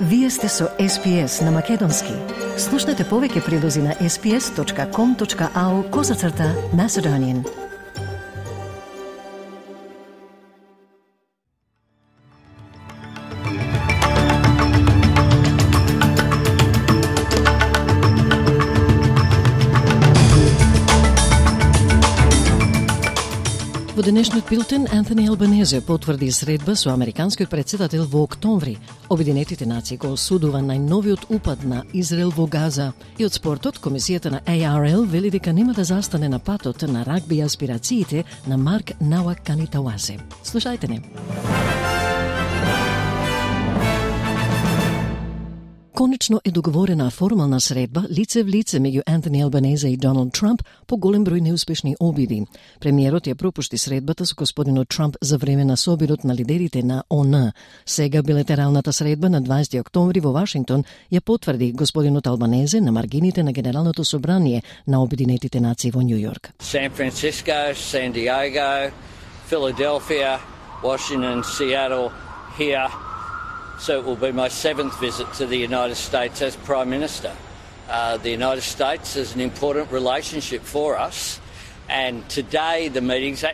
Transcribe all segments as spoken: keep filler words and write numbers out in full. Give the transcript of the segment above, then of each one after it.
Вие сте со Ес Пи Ес на Македонски. Слушнете повеќе прилози на ес пи ес точка ком точка ау козацрта Macedonian. Во денешниот билтен, Антони Албанезе потврди средба со американскиот претседател во октомври. Обединетите нации го осудува најновиот упад на Израел во Газа. И од спортот, комисијата на Ей Ар Ел вели дека нема да застане на патот на рагби аспирациите на Марк Науаканитауасе. Слушајте не. Конечно е договорена формална средба лице в лице меѓу Антони Албанезе и Доналд Трамп по голем број неуспешни обиди. Премиерот ја пропушти средбата со господинот Трамп за време на собирот на лидерите на О Н. Сега билатералната средба на дваесети октомври во Вашингтон ја потврди господинот Албанезе на маргините на Генералното собрание на Обединетите нации во Њу Јорк. San Francisco, San Diego, Philadelphia, Washington, Seattle, here. So it will be my seventh visit to the United States as Prime Minister. Uh, the United States is an important relationship for us, and today the meetings,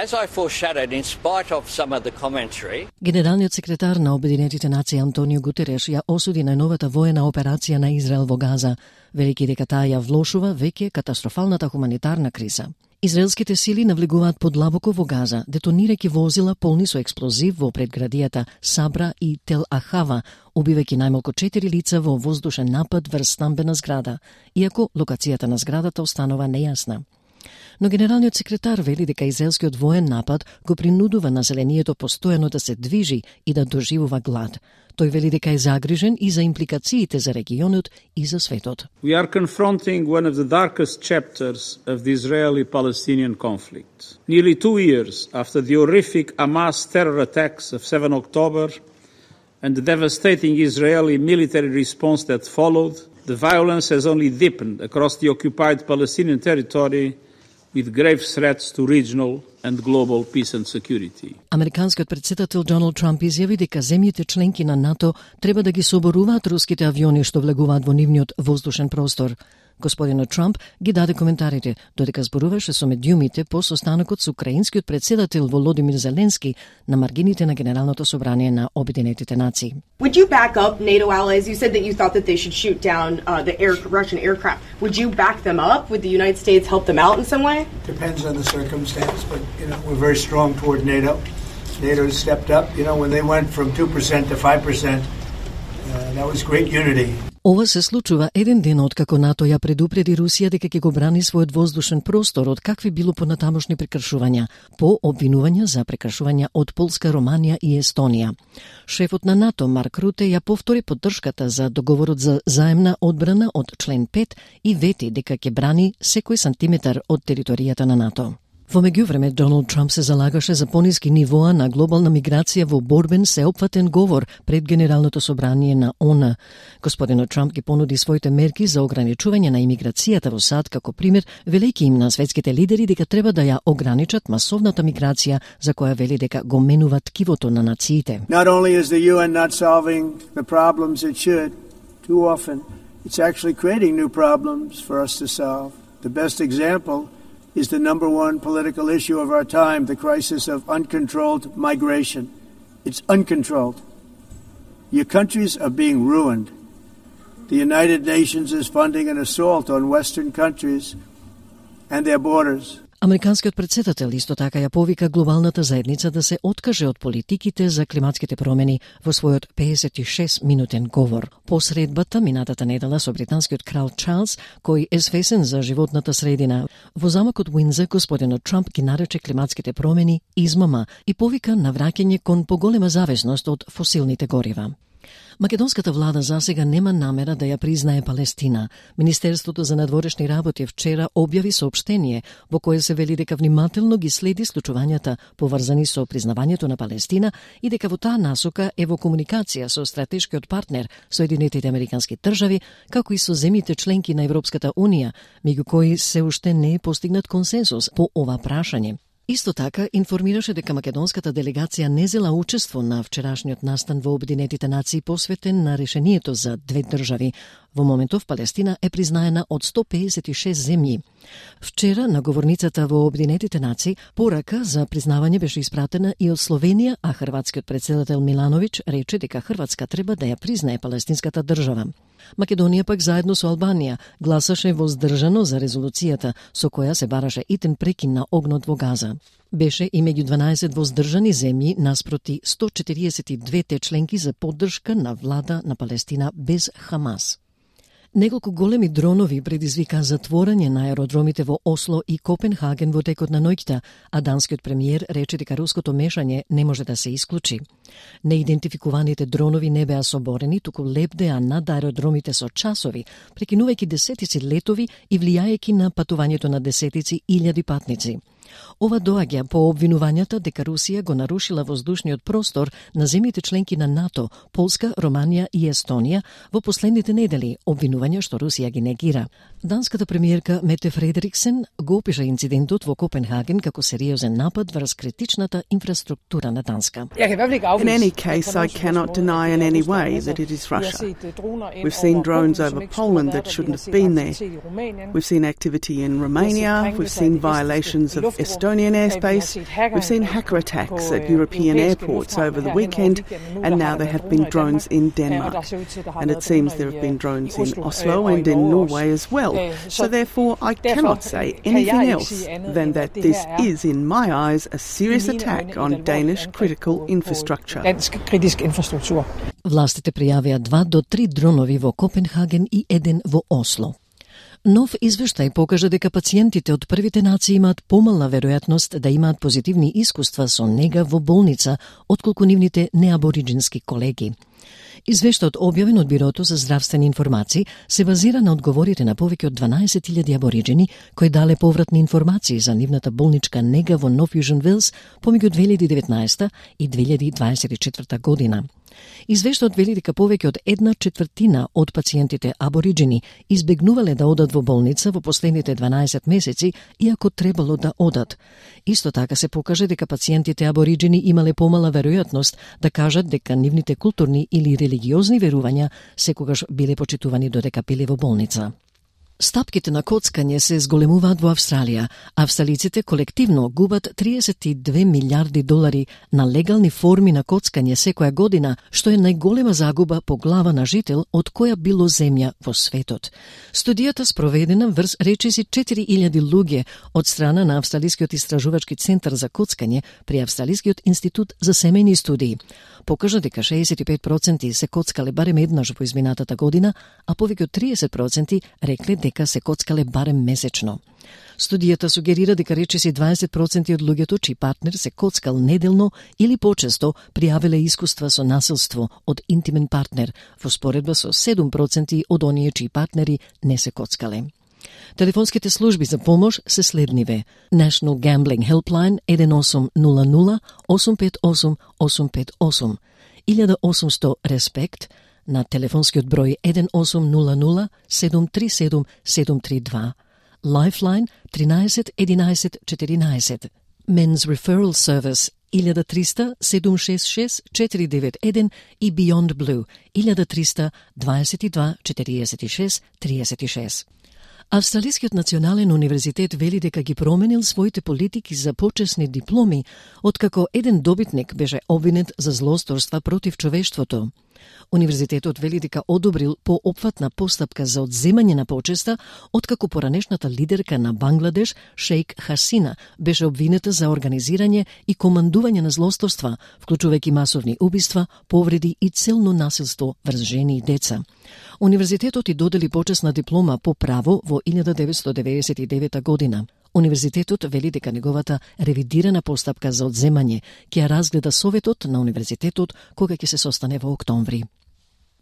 as I foreshadowed, in spite of some of the commentary... Генералниот секретар на Обединетите нации Антонио Гутереш ја осуди најновата воена операција на Израел во Газа, велики дека таа ја влошува веќе катастрофалната хуманитарна криза. Израелските сили навлегуваат подлабоко во Газа, детонирајќи возила полни со експлозив во предградијата Сабра и Тел Ахава, убивајќи најмалку четири лица во воздушен напад врз стамбена зграда, иако локацијата на зградата останува нејасна. Но генералниот секретар вели дека израелскиот воен напад го принудува населението постојано да се движи и да доживува глад. Тој вели дека е загрижен и за импликациите за регионот и за светот. We are confronting one of the darkest chapters of the Israeli-Palestinian conflict. Nearly two years after the horrific Hamas terror attacks of seven October and the devastating Israeli military response that followed, the violence has only deepened across the occupied Palestinian territory with grave threats to regional and global peace and security. Американскиот претседател Доналд Трамп изјави дека земјите членки на НАТО треба да ги соборуваат руските авиони што влегуваат во нивниот воздушен простор. Господинот Трамп ги даде коментарите, додека зборуваше со медиумите по состанокот со украинскиот претседател Володимир Зеленски на маргините на Генералното собрание на Обединетите нации. Would you back up NATO allies? You said that you thought that they should shoot down uh, the air, Russian aircraft. Would you back them up? Would the United States help them out in some way? Depends on the circumstance, but you know we're very strong toward NATO. NATO stepped up. You know when they went from two percent to five percent, uh, that was great unity. Ова се случува еден ден откако НАТО ја предупреди Русија дека ќе го брани својот воздушен простор од какви било понатамошни прекршувања, по обвинувања за прекршувања од Полска, Романија и Естонија. Шефот на НАТО Марк Руте ја повтори поддршката за договорот за заемна одбрана од член пет и вети дека ќе брани секој сантиметар од територијата на НАТО. Во меѓувреме, Доналд Трамп се залагаше за пониски нивоа на глобална миграција во борбен сеопфатен говор пред Генералното собрание на О Н. Господинот Трамп ги понуди своите мерки за ограничување на имиграцијата во САД како пример, велејќи им на светските лидери дека треба да ја ограничат масовната миграција за која вели дека го менува ткивото на нациите. Not only is the U N not solving the problems it should, too often, it's actually creating new problems for us to solve. The best example is the number one political issue of our time, the crisis of uncontrolled migration. It's uncontrolled. Your countries are being ruined. The United Nations is funding an assault on Western countries and their borders. Американскиот претседател исто така ја повика глобалната заедница да се откаже од политиките за климатските промени во својот педесет и шест минутен говор. По средбата минатата недела со британскиот крал Чарлс, кој е свесен за животната средина, во замокот Уиндзор господинот Трамп ги нарече климатските промени измама и повика на враќање кон поголема зависност од фосилните горива. Македонската влада засега нема намера да ја признае Палестина. Министерството за надворешни работи вчера објави соопштение во кое се вели дека внимателно ги следи случувањата поврзани со признавањето на Палестина и дека во таа насока е во комуникација со стратешкиот партнер Соединетите Американски држави, како и со земјите членки на Европската Унија, меѓу кои се уште не е постигнат консенсус по ова прашање. Исто така информираше дека македонската делегација не зела учество на вчерашниот настан во Обединетите нации посветен на решението за две држави. Во моментов Палестина е признаена од сто педесет и шест земји. Вчера на говорницата во Обединетите нации порака за признавање беше испратена и од Словенија, а хрватскиот претседател Милановиќ рече дека Хрватска треба да ја признае палестинската држава. Македонија пак заедно со Албанија гласаше воздржано за резолуцијата со која се бараше итен прекин на огнот во Газа. Беше и меѓу дванаесет воздржани земји наспроти сто четириесет и две членки за поддршка на влада на Палестина без Хамас. Неколку големи дронови предизвика затворање на аеродромите во Осло и Копенхаген во текот на ноќта, а данскиот премиер рече дека руското мешање не може да се исклучи. Неидентификуваните дронови не беа соборени, туку лепдеа над аеродромите со часови, прекинувајќи десетици летови и влијајќи на патувањето на десетици илјади патници. Ова доаѓа по обвинувањата дека Русија го нарушила воздушниот простор на земјите членки на НАТО, Полска, Романија и Естонија во последните недели, обвинувања што Русија ги негира. Данската премиерка Мете Фредериксен го опиша инцидентот во Копенхаген како сериозен напад врз критичната инфраструктура на Данска. In any case, I cannot deny in any way that it is Russia. We've seen drones over Poland that shouldn't have been there. We've seen activity in Romania. We've seen violations of Estonian airspace. We've seen hacker attacks at European airports over the weekend, and now there have been drones in Denmark. And it seems there have been drones in Oslo and in Norway as well. So therefore, I cannot say anything else than that this is, in my eyes, a serious attack on Danish critical infrastructure. Властите пријавија два до три дронови во Копенхаген и еден во Осло. Нов извештај покажа дека пациентите од првите нации имаат помална веројатност да имаат позитивни искуства со нега во болница отколку нивните неабориджински колеги. Извештајот објавен од Бирото за здравствени информации се базира на одговорите на повеќе од дванаесет илјади абориджини кои дале повратни информации за нивната болничка нега во Нов Јужен Велс помеѓу две илјади и деветнаесета и две илјади дваесет и четврта година. Извештајот вели дека повеќе од една четвртина од пациентите абориджини избегнувале да одат во болница во последните дванаесет месеци, иако требало да одат. Исто така се покаже дека пациентите абориджини имале помала веројатност да кажат дека нивните културни или религиозни верувања секогаш биле почитувани додека биле во болница. Стапките на коцкање се зголемуваат во Австралија. Австралиците колективно губат триесет и две милиарди долари на легални форми на коцкање секоја година, што е најголема загуба по глава на жител од која било земја во светот. Студијата спроведена врз речиси четири илјади луѓе од страна на Австралискиот истражувачки центар за коцкање при Австралискиот институт за семејни студии покажа дека шеесет и пет проценти се коцкале барем еднаш во изминатата година, а повеќе од триесет проценти рекле дека се коцкале барем месечно. Студијата сугерира дека речиси дваесет проценти од луѓето чиј партнер се коцкал неделно или почесто пријавиле искуства со насилство од интимен партнер, во споредба со седум проценти од оние чиј партнери не се коцкале. Телефонските служби за помош се следниве: National Gambling Helpline еден осум нула нула осум пет осум осум пет осум, илјада осумсто Респект на телефонскиот број еден осум нула нула седум три седум седум три два, Lifeline тринаесет единаесет четиринаесет, Men's Referral Service илјада триста седум шест шест четири девет еден и Beyond Blue илјада триста дваесет и два четириесет и шест триесет и шест. Австралискиот национален универзитет вели дека ги променил своите политики за почесни дипломи, откако еден добитник беше обвинет за злосторства против човештвото. Универзитетот вели дека одобрил поопфатна постапка за одземање на почеста, откако поранешната лидерка на Бангладеш, Шејк Хасина, беше обвинета за организирање и командување на злосторства, вклучувајќи масовни убиства, повреди и целно насилство врз жени и деца. Универзитетот и додели почесна диплома по право во илјада деветстотини деветдесет и девета година. Универзитетот вели дека неговата ревидирана постапка за одземање ќе ја разгледа Советот на Универзитетот кога ќе се состане во октомври.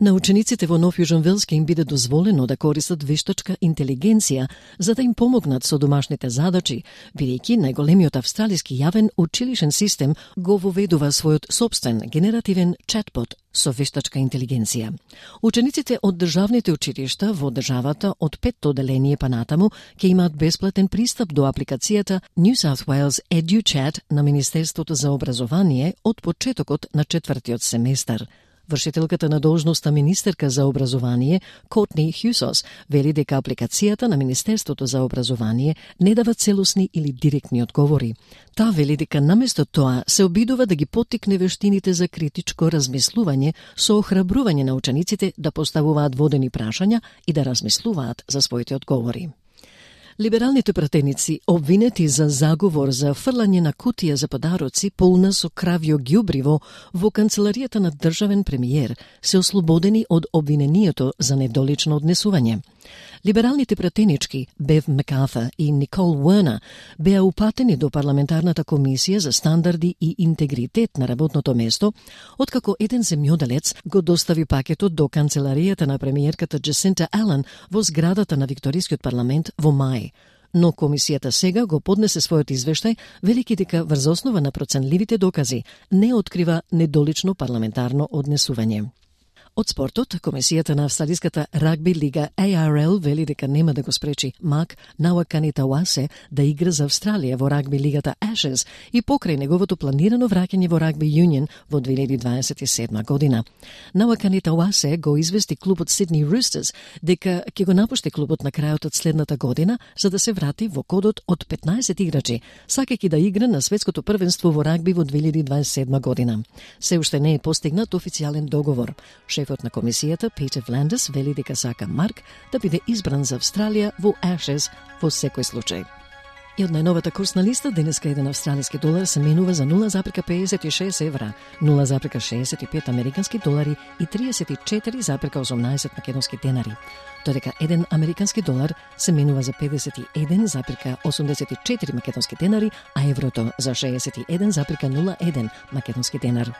На учениците во Нов Јужен Велс ќе им биде дозволено да користат вештачка интелигенција за да им помогнат со домашните задачи, бидејќи најголемиот австралиски јавен училишен систем го воведува својот собствен генеративен чатбот со вештачка интелигенција. Учениците од државните училишта во државата од петто одделение па натаму ќе имаат бесплатен пристап до апликацијата New South Wales EduChat на Министерството за образование од почетокот на четвртиот семестар. Вршителката на должноста министерка за образование, Котни Хјусос, вели дека апликацијата на Министерството за образование не дава целосни или директни одговори. Таа вели дека наместо тоа се обидува да ги поттикне вештините за критичко размислување со охрабрување на учениците да поставуваат водени прашања и да размислуваат за своите одговори. Либералните пратеници, обвинети за заговор за фрлање на кутија за подароци полна со кравјо ѓубриво во канцеларијата на државен премиер, се ослободени од обвинението за недолично однесување. Либералните пратенички Бев Мекарта и Никол Уернер беа упатени до парламентарната комисија за стандарди и интегритет на работното место, откако еден земјоделец го достави пакетот до канцеларијата на премиерката Джесинта Ален во зградата на Викторискиот парламент во мај. Но комисијата сега го поднесе својот извештај, велики дека врз основа на проценливите докази не открива недолично парламентарно однесување. Од спортот, комисијата на австралиската рагби лига А Р Л вели дека нема да го спречи Мак Науакани Тауасе да игра за Австралија во рагби лигата Ashes и покрај неговото планирано враќање во рагби Юнион во две илјади дваесет и седма година. Науакани Тауасе го извести клубот Сидни Roosters дека ќе го напушти клубот на крајот од следната година за да се врати во кодот од петнаесет играчи, сакајќи да игра на светското првенство во рагби во две илјади дваесет и седма година. Се уште не е постигнат официјален договор. Шефот на комисијата, Питер Вландес, вели дека сака Марк да биде избран за Австралија во Ashes во секој случај. И од најновата курсна листа, денеска еден австралиски долар се менува за нула запирка педесет и шест евра, нула запирка шеесет и пет американски долари и триесет и четири запирка осумнаесет македонски денари. Додека еден американски долар се менува за педесет и еден запирка осумдесет и четири македонски денари, а еврото за шеесет и еден запирка нула еден македонски денар.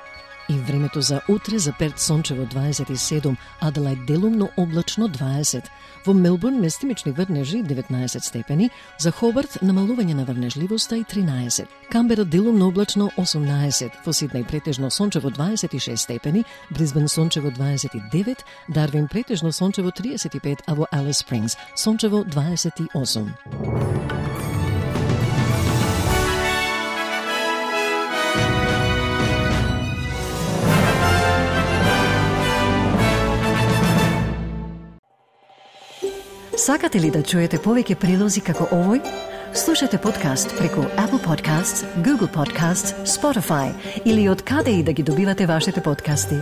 И времето за утре за Перт сончево дваесет и седум, Аделајд делумно облачно дваесет, во Мелбурн местимични врнежи деветнаесет степени, за Хобарт намалување на врнежливоста и тринаесет, Камбера делумно облачно осумнаесет, во Сиднеј претежно сончево дваесет и шест степени, Брисбен сончево дваесет и девет, Дарвин претежно сончево триесет и пет, а во Алис Спрингс сончево дваесет и осум. Сакате ли да чуете повеќе прилози како овој? Слушате подкаст преку Apple Podcasts, Google Podcasts, Spotify или од каде и да ги добивате вашите подкасти.